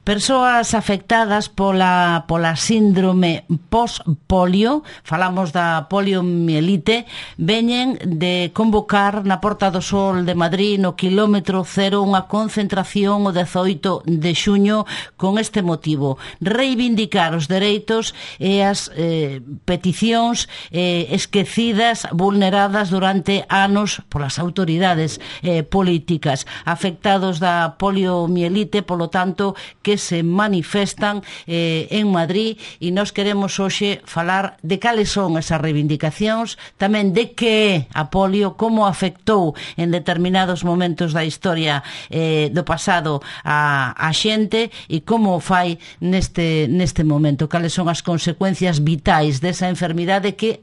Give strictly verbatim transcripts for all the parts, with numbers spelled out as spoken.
Persoas afectadas pola, pola síndrome post-polio, falamos da poliomielite, veñen de convocar na Porta do Sol de Madrid, no quilómetro cero, unha concentración o dezoito de xuño con este motivo: reivindicar os dereitos e as eh, peticións eh, esquecidas, vulneradas durante anos polas autoridades eh, políticas. Afectados da poliomielite, polo tanto, que se manifestan eh, en Madrid, e nós queremos hoxe falar de cales son esas reivindicacións, tamén de que é a polio, como afectou en determinados momentos da historia eh, do pasado a, a xente, e como o fai neste, neste momento, cales son as consecuencias vitais desa enfermidade que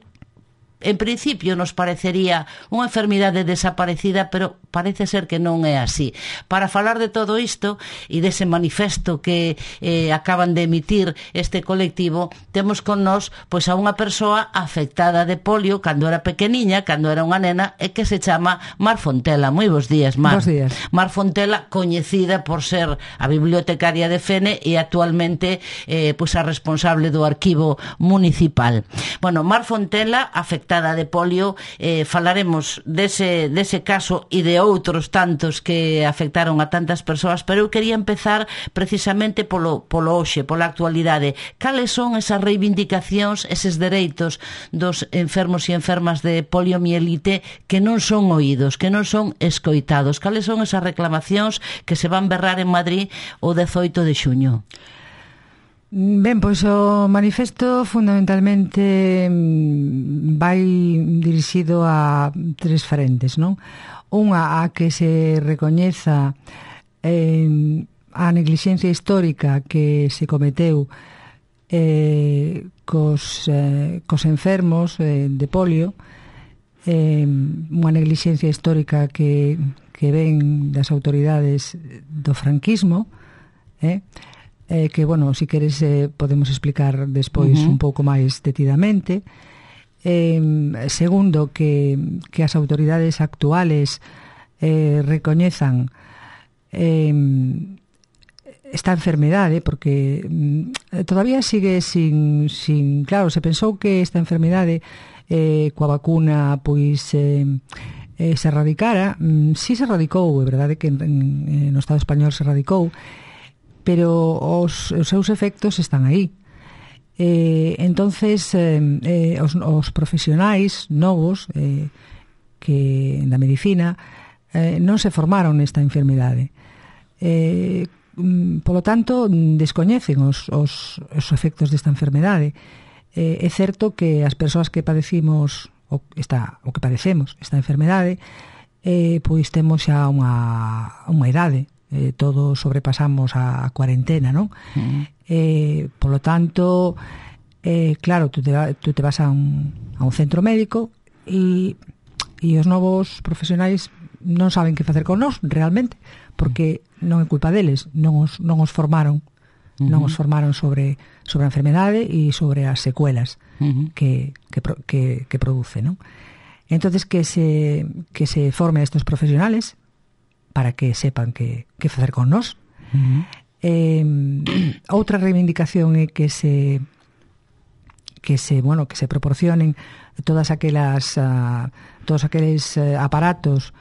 en principio nos parecería unha enfermidade desaparecida, pero parece ser que non é así. Para falar de todo isto e dese manifesto que eh, acaban de emitir este colectivo, temos con nós pois a unha persoa afectada de polio cando era pequeniña, cando era unha nena, e que se chama Mar Fontela. Moi bons días, Mar. Bos días. Mar Fontela, coñecida por ser a bibliotecaria de Fene e actualmente eh, pois a responsable do arquivo municipal. Bueno, Mar Fontela, afectada de polio, eh, falaremos dese, dese caso e de outros tantos que afectaron a tantas persoas, pero eu quería empezar precisamente polo, polo hoxe, pola actualidade. Cales son esas reivindicacións, eses dereitos dos enfermos e enfermas de poliomielite que non son oídos, que non son escoitados? Cales son esas reclamacións que se van berrar en Madrid o dezoito de xuño? Ben, pois o manifesto fundamentalmente vai dirixido a tres frentes, non? Unha, a que se recoñeza eh, a neglixencia histórica que se cometeu eh, cos, eh, cos enfermos eh, de polio, eh, unha neglixencia histórica que, que ven das autoridades do franquismo, eh, Eh, que, bueno, si queres eh, podemos explicar despois uh-huh. un pouco máis detidamente. Eh, segundo, que, que as autoridades actuales eh, recoñezan eh, esta enfermedade, porque eh, todavía sigue sin, sin... Claro, se pensou que esta enfermedade eh, coa vacuna pois... Eh, eh, se erradicara. Mm, si se erradicou, é verdade que en, en, no Estado español se erradicou, pero os, os seus efectos están aí. Eh, entonces, eh, eh, os, os profesionais novos eh, que da medicina eh, non se formaron nesta enfermidade. Eh, polo tanto, descoñecen os, os, os efectos desta enfermidade. Eh, é certo que as persoas que padecimos o, esta, o que padecemos esta enfermidade, eh, pois temos xa unha, unha idade. Eh, todos sobrepasamos a cuarentena, non? Uh-huh. Eh, polo tanto, eh, claro, tú te, tú te vas a un, a un centro médico e, e os novos profesionais non saben que facer con nós, realmente, porque non é culpa deles, non os, non os formaron, uh-huh. non os formaron sobre, sobre a enfermedade e sobre as secuelas uh-huh. que, que, que, que produce, non? Entonces, que se, que se forme a estos profesionales para que sepan que, que facer con nós. Uh-huh. Eh, outra reivindicación é que se que se, bueno, que se proporcionen todas aquelas uh, todos aqueles uh, aparatos,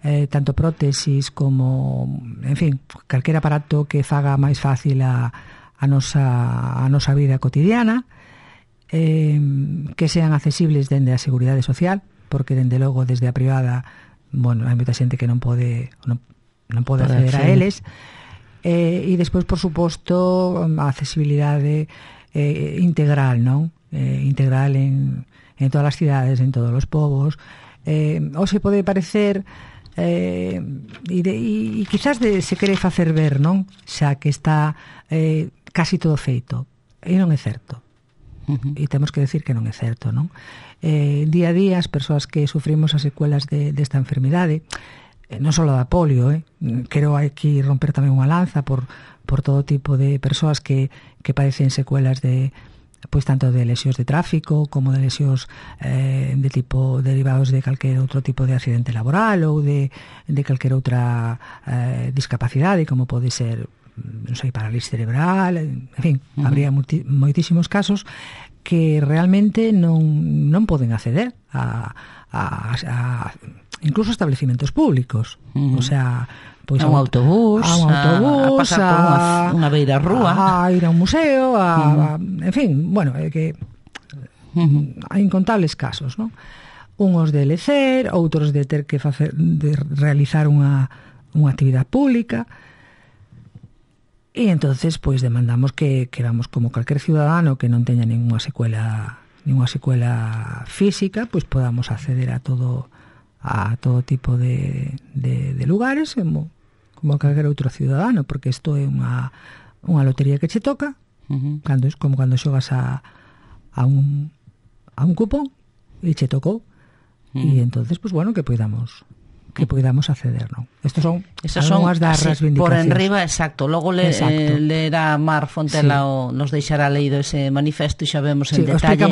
eh, tanto prótesis como, en fin, calquer aparato que faga máis fácil a, a nosa a nosa vida cotidiana, eh, que sean accesibles dende a Seguridade Social, porque dende logo desde a privada, bueno, hai moita xente que non pode non, non pode acceder a eles, eh, e despois, por suposto, a accesibilidade eh, integral, non? Eh, integral en, en todas as cidades, en todos os povos. Eh, ou se pode parecer eh, e, de, e, e quizás de, se quere facer ver, non? Xa que está eh, casi todo feito, e non é certo. Uh-huh. E temos que decir que non é certo, non? Eh, día a día as persoas que sufrimos as secuelas de, desta enfermidade, eh, non só da polio, eh, quero aquí romper tamén unha lanza por, por todo tipo de persoas que, que padecen secuelas de, pois tanto de lesións de tráfico como de lesións eh, de tipo derivados de calquer outro tipo de accidente laboral ou de, de calquer outra eh, discapacidade, como pode ser non sei, parálisis cerebral, en fin, uh-huh. habría multi, moitísimos casos que realmente non, non poden acceder a, a, a incluso a establecimientos públicos, uh-huh. o sea, pois a un autobús, a un autobús, a, a pasar por unha, unha beira rúa, a ir a un museo, a, uh-huh. a, en fin, bueno, é que uh-huh. hai incontables casos, non? Unhos de lecer, outros de ter que facer, de realizar unha, unha actividade pública, e entonces pois demandamos que, que vamos, como calquer ciudadano que non teña ninguna secuela ninguna secuela física, pois podamos acceder a todo a todo tipo de, de, de lugares como, como calquer outro ciudadano, porque isto é unha, unha lotería que che toca, uh-huh. cando es como cando xogas a, a un a un cupón e che tocou. E entonces, pues bueno, que podamos que podamos acceder, non? Estos son Esas son algunhas das reivindicacións. Por enriba, exacto. Logo le, eh, lerá Mar Fontela sí. o nos deixará leído ese manifesto e xa vemos en sí, detalle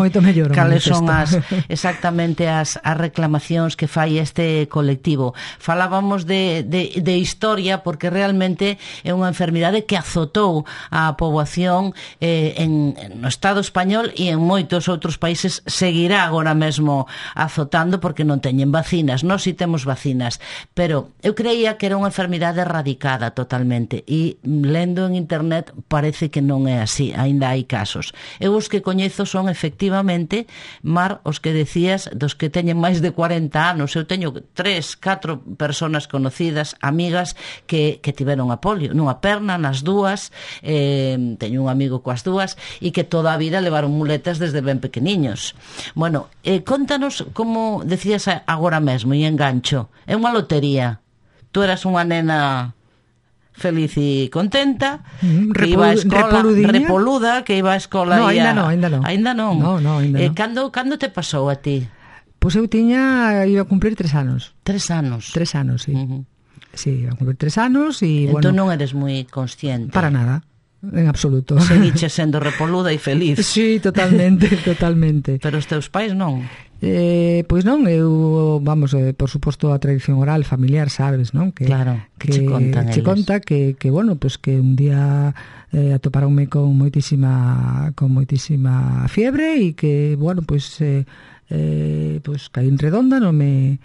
cales son as exactamente as, as reclamacións que fai este colectivo. Falábamos de, de, de historia porque realmente é unha enfermidade que azotou a poboación eh, en, no Estado español e en moitos outros países seguirá agora mesmo azotando porque non teñen vacinas. Nós si temos vacinas, pero eu creía que era unha enfermidade erradicada totalmente e lendo en internet parece que non é así, aínda hai casos. Eu os que coñezo son efectivamente, Mar, os que decías dos que teñen máis de cuarenta anos. Eu teño tres, catro personas conocidas, amigas que, que tiveron a polio nunha perna, nas dúas, eh, teño un amigo coas dúas e que toda a vida levaron muletas desde ben pequeniños. Bueno, eh, contanos como decías agora mesmo e engancho, é unha lotería. Tú eras unha nena feliz e contenta, mm, que iba a escola repoluda, que iba a escola no, e ainda non, ainda non. Ainda non. No, no, ainda eh, non. Cando, cando te pasou a ti? Pois eu tiña, iba a cumplir tres anos. Tres anos? Tres anos, sí. Uh-huh. Sí, iba a cumplir tres anos e, entón bueno... non eres moi consciente? Para nada. En absoluto. Seguiche sendo repoluda e feliz. Sí, totalmente, totalmente. Pero os teus pais non? Eh, pois non, eu, vamos, eh, por suposto a tradición oral familiar, sabes, non? Que, claro, que, que che contan che conta que, que, bueno, pues que un día eh, atoparonme con moitísima con moitísima fiebre e que, bueno, pues eh, eh, pues caí en redonda, non me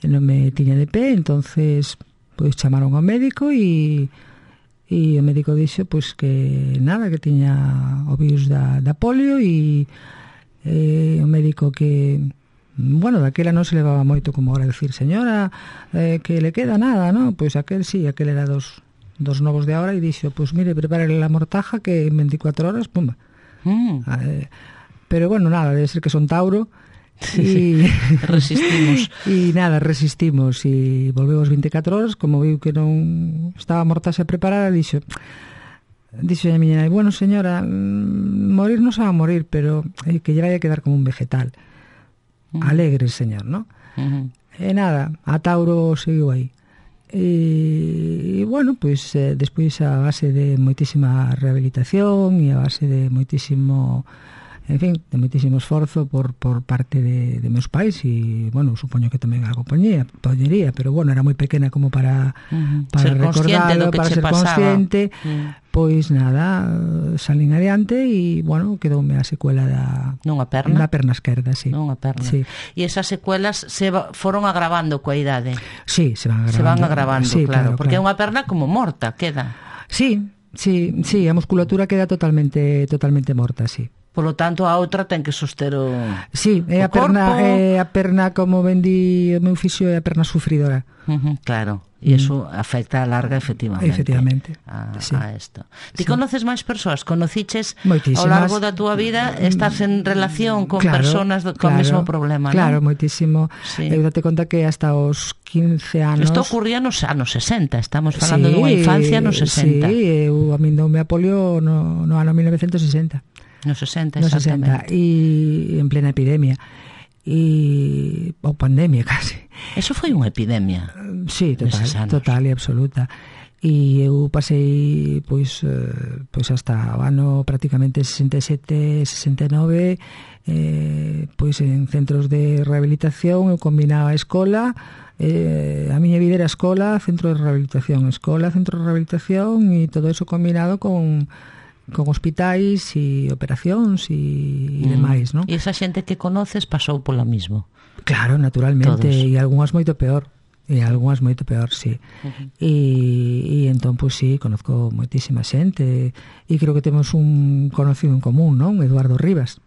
non me tiña de pé, entonces pues chamaron ao médico e e o médico dixo pois que nada, que tiña o virus da, da polio e eh, o médico que bueno, daquela non se levaba moito como ahora decir, señora, eh, que le queda nada, ¿no? Pois aquel sí, aquel era dos, dos novos de ahora e dixo, pois mire, prepárele la mortaja que en veinticuatro horas, pumba. Mm. Eh, pero bueno, nada, debe ser que son Tauro. Sí, y resistimos e nada, resistimos e volvemos veinticuatro horas, como viu que non estaba a mortaxa preparada, dixo dixo a miña nai, bueno señora, morir non se va a morir, pero eh, que lle vai a quedar como un vegetal. Uh-huh. Alegre, señor, ¿no? Uh-huh. E nada, a Tauro seguiu aí. E, e bueno, pois pues, eh, despois a base de moitísima rehabilitación e a base de moitísimo, en fin, de moitísimo esforzo por, por parte de, de meus pais e, bueno, supoño que tamén a compañía poñería, pero, bueno, era moi pequena como para, uh-huh. para ser recordarlo, para ser pasaba. consciente, uh-huh. pois nada, salín adiante e, bueno, quedoume a secuela da... Nunha perna? Nunha perna esquerda, sí. Nunha perna. Sí. E esas secuelas se va, foron agravando coa idade? Sí, se van agravando. Se van agravando, sí, claro, claro, porque claro. é unha perna como morta, queda. Sí, sí, sí, a musculatura queda totalmente totalmente morta, sí. Polo tanto, a outra ten que soster o sí, é a perna, é a perna como vendí o meu fisio, é a perna sufridora. Uh-huh, claro, e iso uh-huh. afecta a larga efectivamente. Efectivamente. A, sí. a esto. Ti sí. conoces máis persoas? Conociches moitísimas. Ao largo da túa vida? Estás en relación con claro, persoas do, con o claro, mesmo problema, claro, non? moitísimo. Sí. Eu date conta que hasta os quince anos... Isto ocurría nos anos sesenta, estamos falando sí, dunha infancia nos sesenta. Sí, eu a min doume a polio no, no ano mil novecientos sesenta. No sesenta, no exactamente. sesenta, e en plena epidemia. E ou pandemia casi. Eso foi unha epidemia. Sí, total, total e absoluta. e eu pasei pois eh, pois hasta o ano prácticamente sesenta e sete, sesenta e nove eh, pois en centros de rehabilitación. Eu combinaba a escola, eh, a miña vida era escola, centro de rehabilitación, escola, centro de rehabilitación, e todo eso combinado con con hospitais e operacións e, e demais, non? E esa xente que conoces pasou polo mismo. Claro, naturalmente, todos. e algunhas moito peor. E algunhas moito peor, sí. Uh-huh. E, e entón, pois sí, conozco moitísima xente, e creo que temos un conocido en común, non? Eduardo Rivas.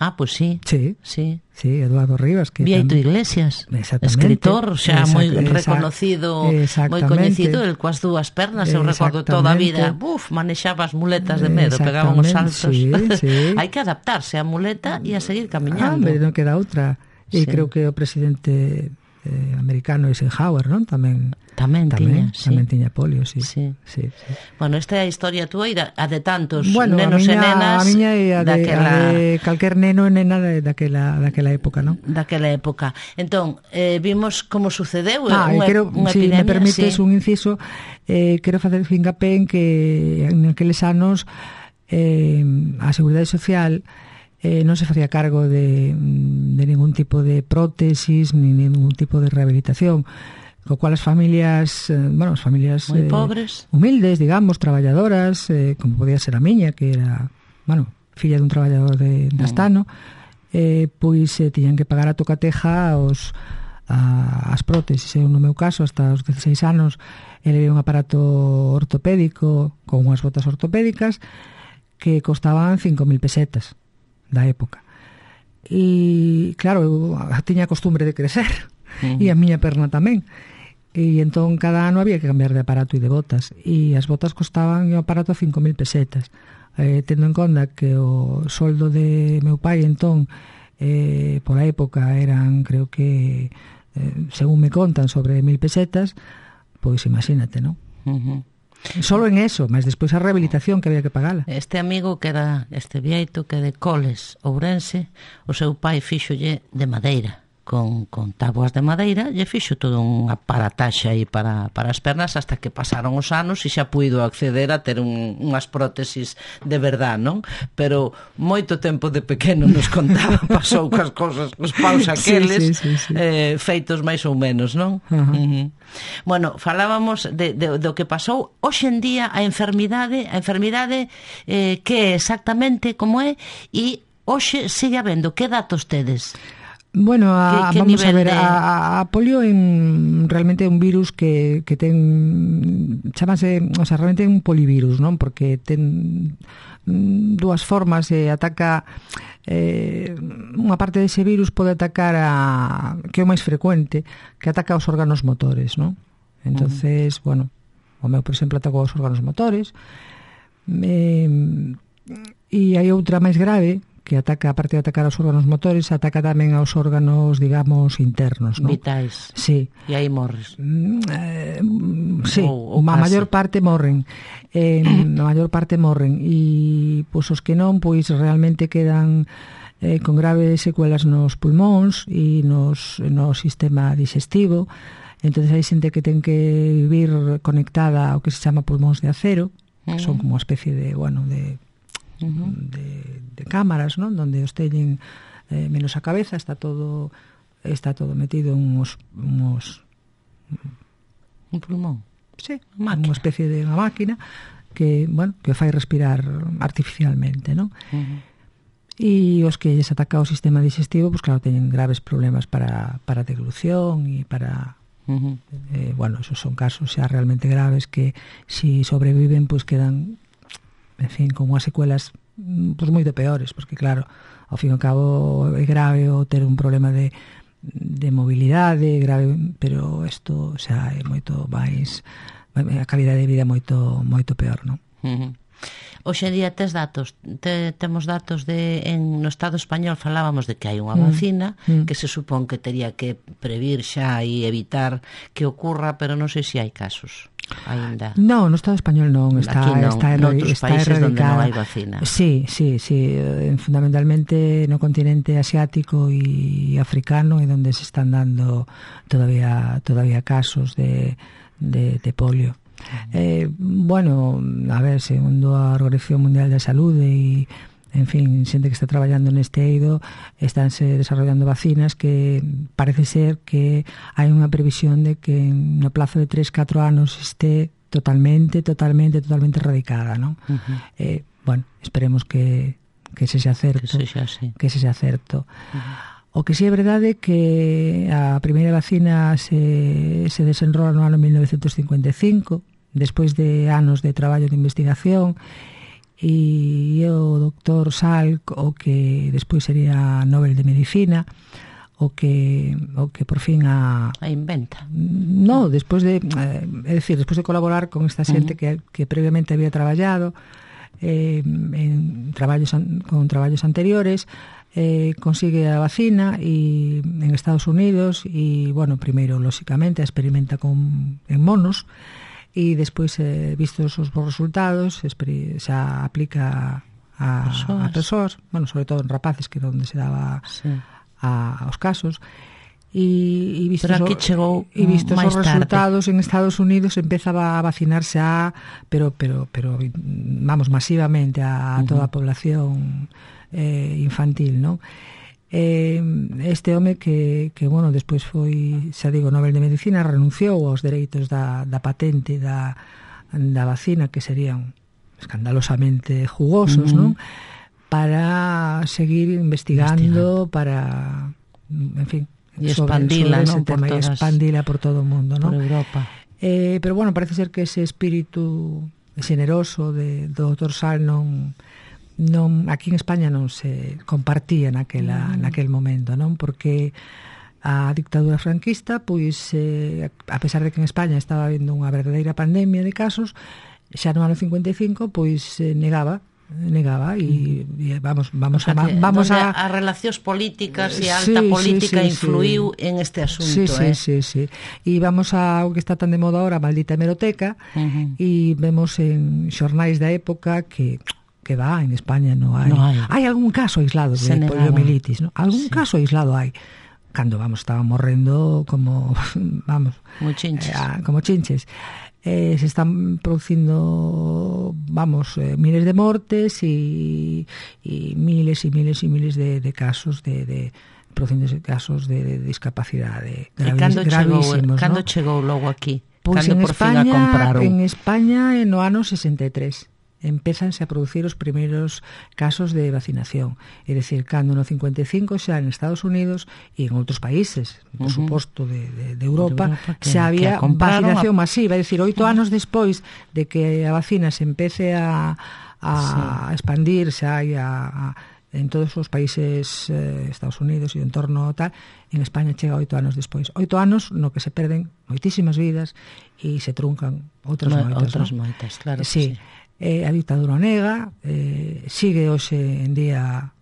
Ah, pois sí. Sí, sí, sí, Eduardo Rivas. Que Vieito tam... Iglesias, escritor, xa moi reconocido, moi coñecido, el coas dúas pernas, eu recordo toda a vida, buf, manexaba as muletas de medo, pegaba uns saltos. Sí, sí. Hai que adaptarse á muleta e a seguir camiñando. Ah, pero non queda outra. E sí. Creo que o presidente eh, americano Eisenhower, non? Tamén tamén, tamén tiña, sí. Tamén tiña polio, sí. Sí. Sí, sí. Bueno, esta é a historia túa e a de tantos bueno, nenos miña, e nenas. A miña e a de, daquela... a de calquer neno e nena de, daquela, daquela época, non? Daquela época. Entón, eh, vimos como sucedeu ah, unha, quero, unha si epidemia. Me permites sí. un inciso, eh, quero facer fincapé en que en aqueles anos eh, a Seguridade Social Eh, non se facía cargo de, de ningún tipo de prótesis ni ningún tipo de rehabilitación, co cual as familias, eh, bueno, as familias moi eh, pobres, humildes, digamos, traballadoras, eh, como podía ser a miña, que era, bueno, filla dun traballador de, de Astano, eh, pois eh, tiñan que pagar a tocateja aos a, as prótesis. Eu, no meu caso, hasta os dieciséis anos, elevei un aparato ortopédico con unhas botas ortopédicas que costaban cinco mil pesetas da época. E claro, eu tiña a costumbre de crecer, uh-huh. e a miña perna tamén, e entón cada ano había que cambiar de aparato e de botas, e as botas costaban o aparato cinco mil pesetas, eh, tendo en conta que o soldo de meu pai entón eh, por a época eran, creo que eh, según me contan, sobre mil pesetas, pois imagínate, non? Uh-huh. Solo en eso, mas despois a rehabilitación que había que pagala. Este amigo que era este vieito que de Coles, Ourense, o seu pai fíxolle de madeira, con, con tábuas de madeira, lle fixo todo un aparataxe aí para, para as pernas hasta que pasaron os anos e xa puido acceder a ter un, unhas prótesis de verdad, non? Pero moito tempo de pequeno nos contaba, pasou cas cosas, os paus aqueles, sí, sí, sí, sí. Eh, feitos máis ou menos, non? Uh-huh. Uh-huh. Bueno, falábamos de, de, do que pasou hoxe en día a enfermidade, a enfermidade eh, que é exactamente como é, e hoxe sigue habendo, que datos tedes? Bueno, a, que, que vamos a ver, de... a, a polio en, realmente é un virus que, que ten, chamase, o sea, realmente é un polivirus, non? Porque ten dúas formas, e ataca eh, unha parte dese virus pode atacar a, que é o máis frecuente, que ataca aos órganos motores, non? Entonces, uh-huh. bueno, o meu, por exemplo, atacou aos órganos motores, eh, e hai outra máis grave, que ataca, aparte de atacar aos órganos motores, ataca tamén aos órganos, digamos, internos, ¿no? Vitais. Sí. E aí morres. Mm, eh, sí, ou, ou a maior parte morren. Eh, a maior parte morren. E, pois, os que non, pois, realmente quedan eh, con graves secuelas nos pulmóns e nos, no sistema digestivo. Entonces hai xente que ten que vivir conectada ao que se chama pulmóns de acero, que son como unha especie de, bueno, de... Uh-huh. de, de cámaras, non? Donde os teñen eh, menos a cabeza, está todo está todo metido en uns, uns un pulmón. Sí, unha especie de unha máquina que, bueno, que fai respirar artificialmente, non? Uh-huh. E os que lles ataca o sistema digestivo, pues claro, teñen graves problemas para, para deglución e para... Uh-huh. Eh, bueno, esos son casos xa realmente graves que si sobreviven, pues quedan, en fin, con unhas secuelas pues moito peores, porque claro, ao fin e ao cabo é grave o ter un problema de, de mobilidade, grave, pero isto xa é moito máis, a calidade de vida é moito moito peor, non? Uh-huh. Hoxe en día tes datos, te, temos datos de, en no Estado español falábamos de que hai unha vacina mm, mm. que se supón que tería que previr xa e evitar que ocurra, pero non sei se hai casos ainda. No, no Estado español non, está, aquí non, está, noutros está países erradicada. Donde non hai vacina. Sí, sí, sí, fundamentalmente no continente asiático e africano é onde se están dando todavía todavía casos de, de, de polio. Eh, bueno, a ver, segundo a Organización Mundial da Saúde e, en fin, xente que está traballando neste eido, estánse desarrollando vacinas que parece ser que hai unha previsión de que no plazo de tres, catro anos este totalmente, totalmente, totalmente erradicada, non? Uh-huh. Eh, bueno, esperemos que que se xa certo, que se xa, sí. que se xa certo. Uh-huh. O que si é verdade que a primeira vacina se, se desenrola no ano mil novecentos cincuenta e cinco, despois de anos de traballo de investigación, e o doctor Salk, o que despois sería Nobel de Medicina, o que o que por fin a... A inventa. No, despois de, eh, é dicir, despois de colaborar con esta xente uh-huh. que, que previamente había traballado eh, en traballos con traballos anteriores, Eh, consigue a vacina y en Estados Unidos e, bueno, primeiro, lóxicamente, a experimenta con, en monos e despois, eh, vistos os bons resultados, xa aplica a, a persoas, bueno, sobre todo en rapaces, que era onde se daba sí. a, aos casos. E, e vistos, pero aquí chegou e vistos os resultados tarde. En Estados Unidos empezaba a vacinarse a, pero, pero, pero vamos, masivamente a, a toda a población eh, infantil, non? Eh, este home que, que, bueno, despois foi, xa digo, Nobel de Medicina, renunciou aos dereitos da, da patente da, da vacina, que serían escandalosamente jugosos, uh-huh. non? Para seguir investigando, investigando. Para, en fin, e expandila, non? Por todas, expandila por todo o mundo, non? Por Europa. Eh, pero, bueno, parece ser que ese espírito xeneroso de, do doutor Sal non... non, aquí en España non se compartía naquela, mm. naquel momento, non? Porque a dictadura franquista, pois, eh, a pesar de que en España estaba habendo unha verdadeira pandemia de casos, xa no ano cincuenta e cinco, pois, eh, negaba negaba e, e vamos vamos o sea, a vamos a as relacións políticas e a alta sí, política sí, sí, influiu sí. en este asunto, sí, sí, eh. sí, sí. E vamos a o que está tan de moda ahora, a maldita hemeroteca, uh-huh. e vemos en xornais da época que que va, en España no hai. No hai. Hai algún caso aislado de poliomielitis, ¿no? Algún sí. caso aislado hai. Cando, vamos, estaban morrendo como, vamos... Como chinches. Eh, como chinches. Eh, se están producindo, vamos, eh, miles de mortes e, e miles e miles e miles de, de casos de... de producindo casos de, de discapacidade gravis, gravísimos, cando ¿no? chegou logo aquí? Pois en por España, fin a compraron? En España, no ano sesenta e tres. Empezanse a producir os primeiros casos de vacinación. É dicir, cando no cincuenta e cinco xa en Estados Unidos e en outros países, por uh-huh. suposto, de, de, de Europa, de Europa que, xa había vacinación a... masiva. É dicir, oito uh-huh. anos despois de que a vacina se empece a, a sí. expandir xa e a, a, en todos os países, eh, Estados Unidos e o entorno tal, en España chega oito anos despois. Oito anos no que se perden moitísimas vidas e se truncan outras no, moitas. Outras ¿no? moitas, claro sí. que sí. Eh, a dictadura nega, eh, sigue hoxe en día,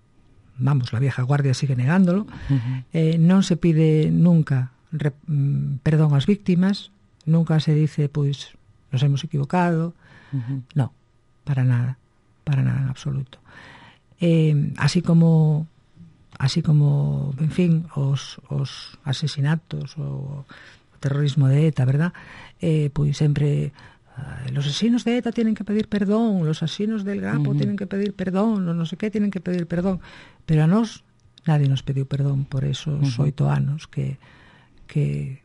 vamos, la vieja guardia sigue negándolo, uh-huh. eh, non se pide nunca re, mm, perdón ás víctimas, nunca se dice, pois, nos hemos equivocado, uh-huh. no, para nada, para nada en absoluto. Eh, así como, así como, en fin, os, os asesinatos, o, o terrorismo de ETA, verdad? Eh, pois sempre... los asesinos de ETA tienen que pedir perdón, los asesinos del Grapo uh-huh. tienen que pedir perdón, los no sé qué tienen que pedir perdón, pero a nos nadie nos pediu perdón por esos uh-huh. oito anos que que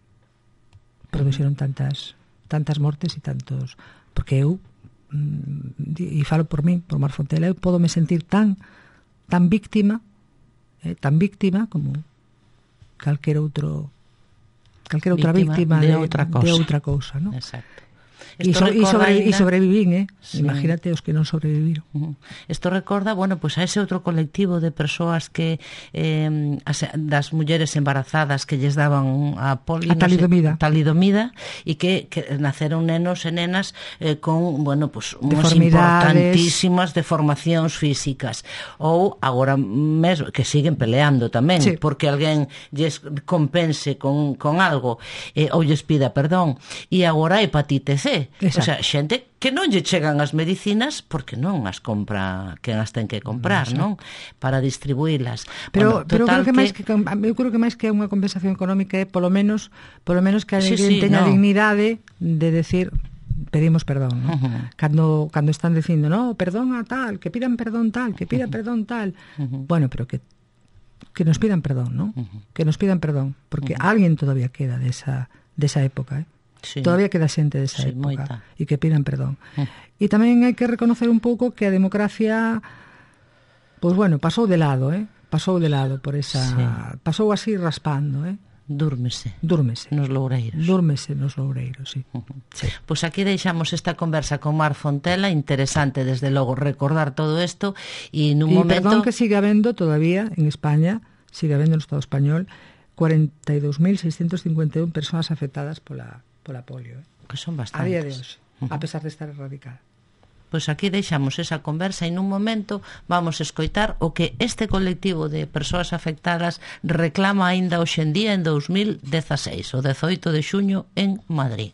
produxeron tantas tantas mortes e tantos, porque eu e falo por mí, por Mar Fontela, eu podo me sentir tan tan víctima, eh, tan víctima como calquer outro calquer outra víctima, víctima de, de outra cousa, de outra cousa, ¿no? Exacto. E so, sobre, sobrevivín, eh? Sí. Imagínate os que non sobreviviron. Isto uh-huh. recorda, bueno, pues a ese outro colectivo de persoas que eh, as, das mulleres embarazadas que lles daban a poli, a talidomida, no sé, talidomida e que, que naceron nenos e nenas eh, con, bueno, pues unhas importantísimas deformacións físicas. Ou agora mesmo, que siguen peleando tamén, sí. porque alguén lles compense con, con algo eh, ou lles pida perdón. E agora a hepatite C. Exacto. O sea, xente que non lle chegan as medicinas porque non as compra, que as ten que comprar, Exacto. non? Para distribuílas. Pero, bueno, pero creo que, que máis que eu creo que máis que unha compensación económica é polo menos polo menos que sí, alguén sí, teña no. dignidade de decir pedimos perdón, ¿no? Uh-huh. Cando, cando están dicindo, no, perdón a tal, que pidan perdón tal, que pida uh-huh. perdón tal. Uh-huh. Bueno, pero que que nos pidan perdón, ¿no? Uh-huh. Que nos pidan perdón, porque uh-huh. alguien todavía queda de esa, de esa época, ¿eh? Sí. Todavía queda xente desa sí, época moita. E que pidan perdón. Uh-huh. E tamén hai que reconocer un pouco que a democracia, pois pues bueno, pasou de lado, ¿eh? Pasou de lado por esa... Sí. Pasou así raspando, ¿eh? Dúrmese. Dúrmese. Nos loureiros. Dúrmese nos loureiros, sí. Uh-huh. Sí. Pois pues aquí deixamos esta conversa con Mar Fontela, interesante desde logo recordar todo isto e nun y momento... perdón que siga habendo todavía en España, siga habendo no Estado español, cuarenta y dos mil seiscientos cincuenta y un persoas afectadas pola, pola polio, ¿eh? Que son bastantes. A día de hoxe, uh-huh. a pesar de estar erradicada. Pois aquí deixamos esa conversa e nun momento vamos escoitar o que este colectivo de persoas afectadas reclama aínda hoxe en día en dos mil dezaseis, o dezoito de xuño en Madrid.